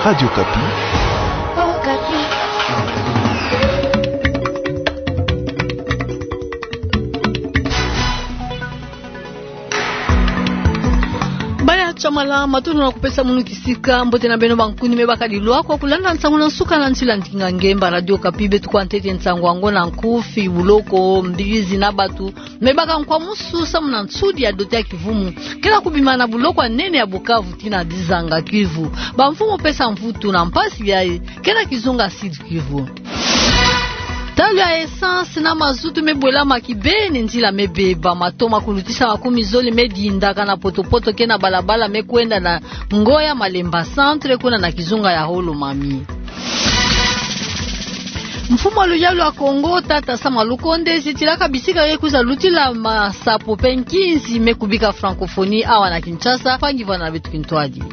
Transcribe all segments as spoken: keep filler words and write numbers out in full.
Radio Okapi. Baya Tshamala, matondo na kupesa munu kisika. Mbote na beno bankuni me bakadi lwaka kulanda nsangu na nsuka na nzila ndinga ngemba Radio Okapi. Beto kwa ntete nsangu yango na nkufi: buloko, mbizi na batu me baka nkwamusu samu na nsudi ya doti ya kivumu kena kubima na buloko ya nene ya Bukavu tii na Dizanga Kivu. Bamfumu pesa mvutu na mpasi yayi kena kizunga Sud Kivu. Talo ya essence na mazutu me bwelama kibeni, nzila me beba. Mato ma kulutisa makumi zole me dindaka na potopoto kena balabala me kwenda na Ngoya Malemba Centre kuna na kizunga ya Haut-Lomami. Mfumu wa luyalu ya Kongo, tata Sama Lukonde, zitilaka bisika ye kwiza lutila masapo pe nkinzi me kubika francophonie awa na Kinshasa, mpangi vwanda na beto kintwadi.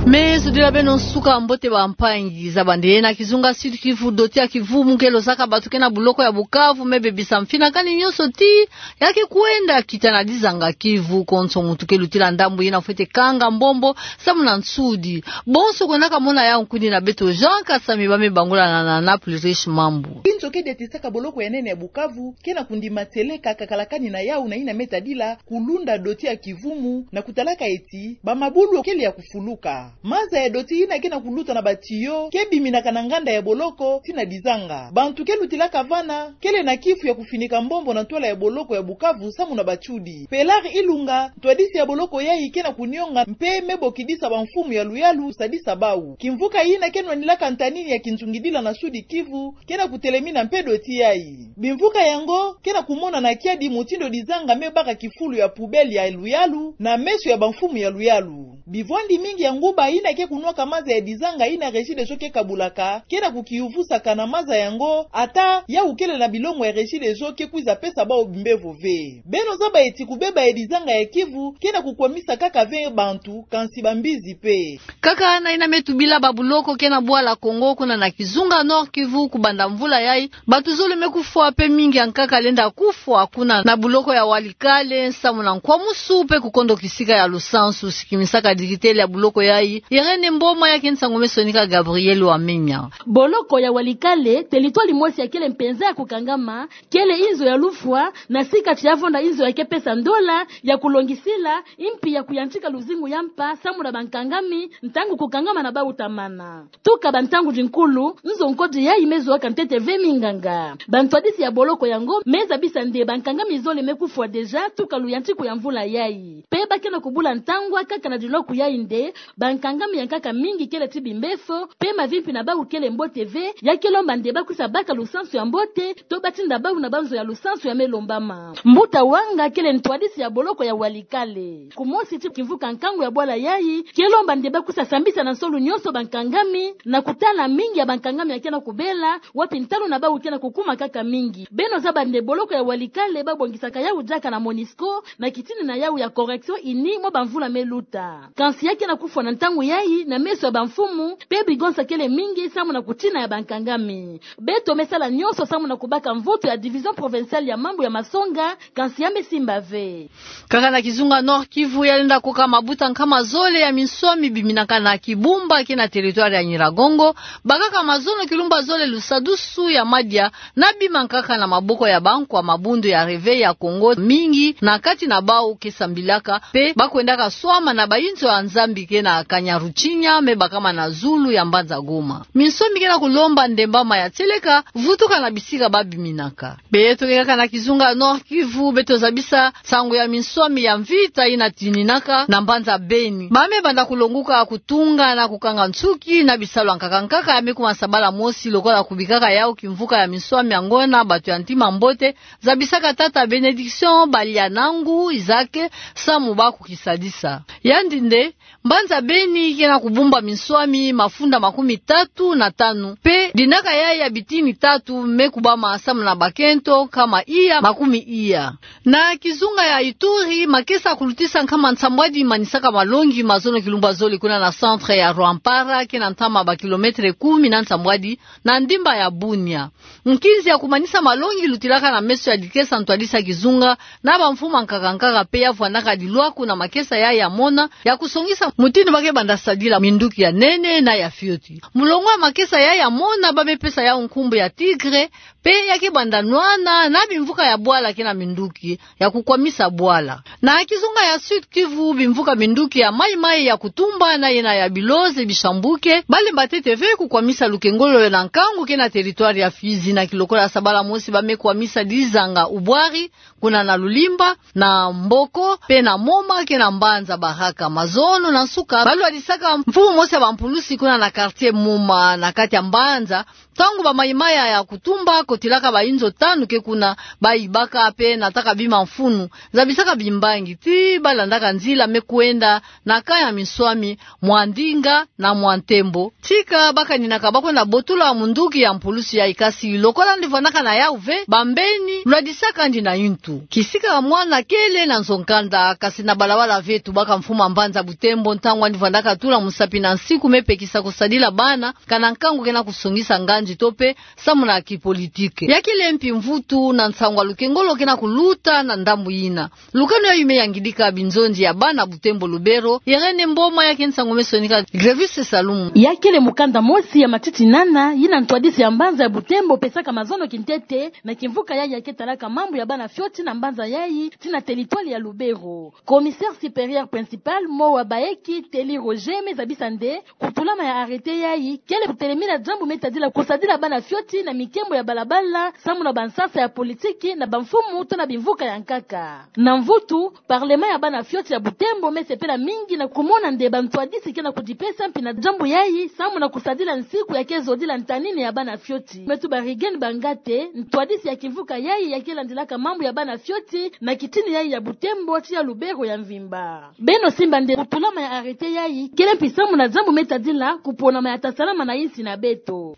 Me zudila beno nsuka mbote bampangi. Zaba nde na kizunga Sud Kivu, doti ya kivumu nge lozaka batu kena buloko ya Bukavu me bebisa mfinakani nyonso tii ya ke kwenda kita na Dizanga Kivu. Konso muntu ke lutila ndambu yina fwete kanga mbombo samu na nsudi. Bonso kwendaka mona yau, nkuni na beto Jean Kasami, ba me bangula na, na Naples Riche Mambu. Inzo ke diatisaka boloko ya nene ya Bukavu kena kundima tieleka kakalakani na yau na yina me tadila kulunda doti ya kivumu na kutalaka eti bamabulu kele ya kufuluka. Maza ya doti yina kena kuluta na batiyo ke biminaka na nganda ya boloko tii na Dizanga. Bantu ke lutilaka vana kele na kifu ya kufinika mbombo na ntwala ya boloko ya Bukavu samu na batsudi. Pelard Ilunga, ntwadisi ya boloko yayi, kena kunionga mpe me bokidisa bamfumu ya luyalu sadisa bau. Kimvuka yina ke nwanilaka ntanini ya kinzungidila na Sud Kivu kena kutelemina mpe doti yayi. Bimvuka yango kena kumonana kiadi mutindu Dizanga me baka kifulu ya poubelle ya luyalu na meso ya bamfumu ya luyalu. Bivwandi mingi ya nguba yina ke kunwaka maza ya Dizanga yina Regideso ke kabulaka kena kukiyuvusaka na maza yango, ata yau kele na bilongo ya Regideso ke kwiza pesa bau bimbevo ve. Beno zaba eti kubeba ya Dizanga ya Kivu kena kukwamisa kaka ve bantu, kansi bambizi pe. Kaka na yina me tubila babuloko kena bwala Kongo kuna na kizunga Nord Kivu, kubanda mvula yayi, batu zole me kufwa mpe mingi ya nkaka lenda kufwa kuna na buloko ya Walikale, samu na nkwamusu mpe kukondo kisika ya lusansu. Sikimisaka dirikitele ya buloko yayi, Irène Mboma, ya ke nsangu me sonika Gabriel Wamenya. Boloko ya Walikale, territoire mosi ya kele mpenza ya kukangama, kele inzo ya lufwa, na sika ti ya vonda inzo ya ke pesa ndola ya kulongisila, impi ya kuyantika luzingu ya mpa samu na bankangami, ntangu kukangama na bau tamana. Tuka bantangu dinkulu, nzo nkodi yayi me zoaka ntete ve minganga. Bantwadisi ya boloko yango me zabisa nde bankangami zole me kufwa déjà tuka luyantiku ya mvula yayi. Mpe ba kena kubula ntangwa kaka na dinloku yayi nde bankangami ya nkaka mingi kele ti bimbefo, mpe mavimpi na bau kele mbote ve, ya ke lomba nde ba kwisa baka lusansu ya mbote, to ba tinda bau na banzo ya lusansu ya me lombama. Mbuta Wanga kele ntwadisi ya boloko ya Walikale. Kumosi ti kimvuka nkangu ya bwala yayi, ke lomba nde ba kwisa sambisa na nsolu nyonso bankangami, na kutala mingi ya bankangami ya kena kubela, wapi ntalu na bau kena kukuma kaka mingi. Beno zaba nde boloko ya Walikale ba bongisaka yau diaka na Monusco, na kitini na yau ya correction ini mwa bamvula me luta. Kansi ya kena kufwa na ntangu yayi, na meso ya bamfumu, mpe bigonsa kele mingi samu na kutina ya bankangami. Beto me sala nyonso samu na kubaka mvutu ya Division Provinciale ya Mambu ya Masonga, kansi ya me simba ve. Kaka na kizunga Nord Kivu, ya lenda koka mabuta nkama zole ya minswami biminaka na Kibumba, kena territoire ya Nyiragongo, bakaka mazono kilumba zole lusadusu ya madia, na bima nkaka na maboko ya bankwa mabundu ya Réveil ya Kongo, mingi na kati na bau ke sambilaka, mpe ba kwendaka swama na bainzo ya Nzambi kena Kanyaruchinya, me bakama na zulu ya mbanza Goma. Minswami kena kulomba nde mbama ya tieleka vutuka na bisika ba biminaka. Beto ke kaka na kizunga Nord Kivu, beto zabisa nsangu ya minswami ya mvita yina tininaka na mbanza Beni. Ba me banda kulonguka kutunga na kukanga nsuki na bisalu ya nkaka nkaka ya me kuma sabala mosi, lokola kubikaka yau kimvuka ya minswami ya ngona, batu ya ntima mbote, zabisaka tata Bénédiction Balianangu Isaac, samu ba kukisadisa. Yandi nde, mbanza Beni kena kubumba minswami mafunda makumi tatu na tanu, mpe dinaka yayi ya bitini tatu me kubama samu na bakento nkama iya makumi iya. Na kizunga ya Ituri, makesa kulutisa nkama nsambwadi manisaka malongi mazono kilumba zole kuna na centre ya Rwampara, kena ntama ba kilomètre kumi na nsambwadi na ndimba ya Bunia. Nkinzi ya kumanisa malongi lutilaka na meso ya dikesa ntwadisi ya kizunga na bamfumu ya nkaka nkaka, mpe ya vwandaka dilwaku na makesa yayi ya mona ya kusongisa mutindu ba ke banda sadila minduki ya nene na ya fioti. Mulongo ya makesa ya ya mona ba me pesa yau nkumbu ya tigre, pe ya ke banda nwana na bimvuka ya bwala ke na minduki ya kukwamisa bwala. Na kizunga ya Sud-Kivu, bimvuka minduki ya Maï-Maï, ya Kutumba na yena ya Biloze, Bishambuke, ba lemba ntete ve kukwamisa lukengolo na nkangu ke na territoire ya Fizi. Na kilokola sabala mosi ba me kwamisa dizanga ubwari, kuna na Lulimba, na Mboko, pe na Moma ke na mbanza Baraka. Mazono na nsuka, ba lwadisaka mfumu mosi ya bampulusi kuna na quartier Moma, na kati ya mbanza, ntangu ba Maï-Maï ya Kutumba kotilaka ba inzo tanu ke kuna, ba ibaka pe nataka bima mfunu, zabisaka bimbangi, ti ba landaka nzila me kwenda na camp ya minswami, Mwandinga na Mwantembo. Tika ba kaninaka ba kwenda botula munduki ya mpulusi yayi, kasi lokola ndi vwandaka na yau ve, bambeni lwadisaka ndi na intu. Kisika mwana kele na nzo nkanda, kasi na balabala ve tubaka mfumu a mbanza Butembo, ntangu andi vwandaka tula musapi na nsiku me pekisa kusadila bana, kana nkangu ke na kusongisa nganzi to pe samu na kipolitike. Ya kele mpi mvutu na nsangu ya lukengolo ke na kuluta na ndambu yina. Lukanu yayi me yangidika binzonzi ya bana Butembo Lubero, Irène Mboma, ya ke nsangu me sonika Grevis Salumu. Ya kele mukanda mosi ya matitinana yina ntwadisi ya mbanza ya Butembo pesaka mazono kintete na kimvuka yayi ya ke talaka mambu ya bana fioti na mbanza yayi ti na territoire ya Lubero. Commissaire supérieur principal Mowa Baeki Teli Roger me zabisa nde kutulama ya arrêté yayi kele kutelemina diambu me tadila kusadila bana fioti na mikembo ya balabala samu na bansasa ya politiki na bamfumu to na bimvuka ya nkaka. Na mvutu, parlement ya bana fioti ya Butembo me sepela mingi na kumona nde bantwadisi ke na kudipesa mpi na diambu yayi samu na kusadila nsiku ya ke zodila ntanini ya bana fioti. Me tuba Rigène Bangate, ntwadisi ya kimvuka yayi ya ke landilaka mambu ya bana fioti na kitini yayi ya Butembo ti ya Lubero ya mvimba. Beno simba nde kutulama ya arrêté yayi kele mpi samu na diambu me tadila kuponama ya tasalama na insi na beto.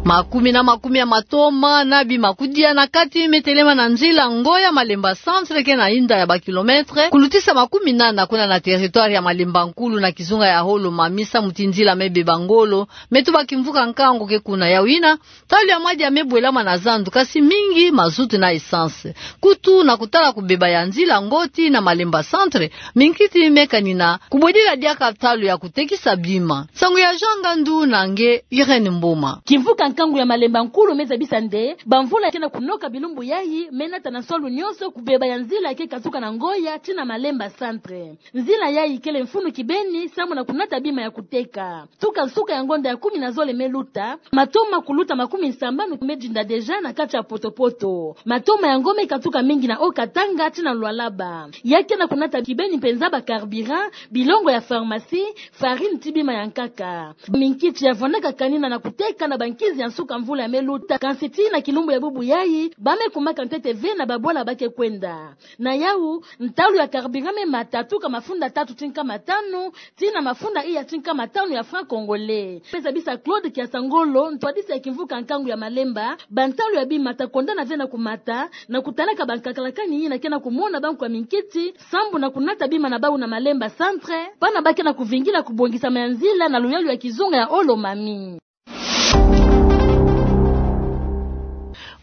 Makumi na makumi ya matoma na bimakudia na kati me telema na nzila Ngoya Malemba Centre ke na inda ya ba kilomètre, kulutisa makumi nana kuna na territoire ya Malemba Nkulu na kizunga ya Holo Mami, samu ti nzila me beba ngolo, me tuba kimvuka nkangu ke kuna. Yau yina, ntalu ya madia me bwelama na zandu, kasi mingi mazutu na essence. Kutu na kutala kubeba ya nzila ngo ti na Malemba Centre, minkiti me kanina kubwedila diaka ntalu ya kutekisa bima. Nsangu ya Jean Ngandu na nge Irène Mboma. Kimvuka nkangu ya Malemba Nkulu me zabisa nde bamvula ke na kunoka bilumbu yayi me nata na nswalu nyonso kubeba ya nzila ke katuka na Ngoya ti na Malemba Centre. Nzila yayi kele mfunu kibeni samu na kunata bima ya kuteka. Tuka nsuka ya ngonda ya kumi na zole me luta, matoma kuluta makumi sambanu me dinda déjà na kati ya potopoto. Matoma yango me katuka mingi na Haut-Katanga ti na Lualaba. Ya ke na kunata kibeni mpenza ba carburant, bilongo ya pharmacie, farine ti bima ya nkaka. Minkiti ya vwandaka kanina na kuteka na bankizi ya nsuka mvula ya me luta, kansi ti na kilumbu ya bubu yayi, ba me kumaka ntete ve na babwala ba ke kwenda. Na yau, ntalu ya carburant me mata tuka mafunda tatu ti nkama tanu ti na mafunda iya ti nkama tanu ya franc congolais. Me zabisa Claude Kiasangolo, ntwadisi ya kimvuka nkangu ya Malemba, bantalu ya bima ta kondana ve na kumata, na kutalaka bankakalakani yina ke na kumona bankwa minkiti, sambu na kunata bima na bau na Malemba Centre, bana ba ke na kuvingila kubongisama ya nzila na luyalu ya kizunga ya Holo Mami.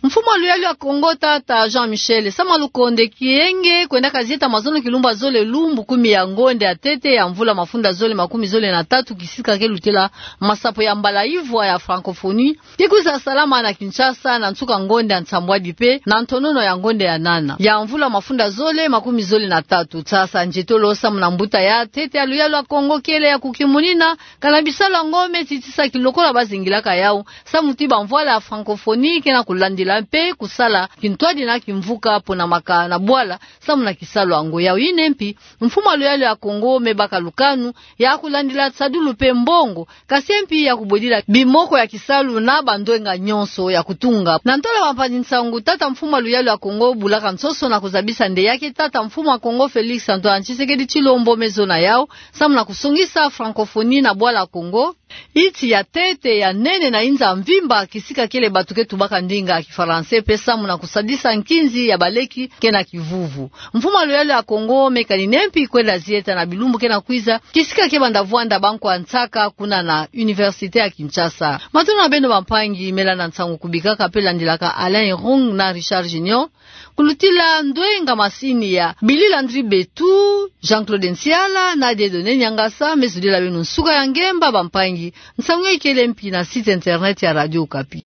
Mfumu a luyalu ya Kongo, tata Jean Michel Sama Lukonde Kyenge, kwendaka zieta mazono kilumbu ya zole lumbu kumi ya ngonde ya ntete ya mvula mafunda zole makumi zole na tatu, kisika ke lutela masapo ya mbala ivwa ya francophonie, ke kwiza salama na Kinshasa na nsuka ngonde ya nsambwadi mpe na ntonono ya ngonde ya nana ya mvula mafunda zole makumi zole na tatu. Sasa nzietolo samu na mbuta ya ntete ya luyalu ya Kongo kele ya kukimunina kana bisalu yango me titisa kilokola bazingilaka yau, samu ti bamvwala ya francophonie ke na kulandila mpe kusala kintwadi na kimvuka mpo na maka na bwala samu na kisalu yango. Yau yina mpi, mfumu a luyalu ya Kongo me baka lukanu ya kulandila nsadulu mpe mbongo, kasi mpi ya kubwedila bimoko ya kisalu na bandwenga nyonso ya kutunga. Na ntwala bampangi-nsangu, tata mfumu a luyalu ya Kongo bulaka nsoso na kuzabisa nde ya ke tata mfumu a Kongo Félix Antoine Tshisekedi Tshilombo me zona yau, samu na kusongisa francophonie na bwala Kongo, nti ya ntete, ya nene na inza mvimba, kisika kele bato ke tubaka ndinga ya kifalanse mpe samu na kusadisa nkinzi ya baleki ke na kivuvu. Mfumu a luyalu ya Kongo me kanina mpi kwenda zieta na bilumbu ke na kwiza, kisika ke banda vwanda bankwa nsaka kuna na Université ya Kinshasa. Matondo na beno bampangi, me landa nsangu kubikaka mpe landilaka Alain Irung na Richard Junior. Kulutila ndoenga masini ya Billy Landry Betu, Jean-Claude Nsiala, Nadia Done Niangasa, me zodila wenu nsuka ya ngemba bampangi, nsaunga ikele mpi na site internet ya Radio Okapi.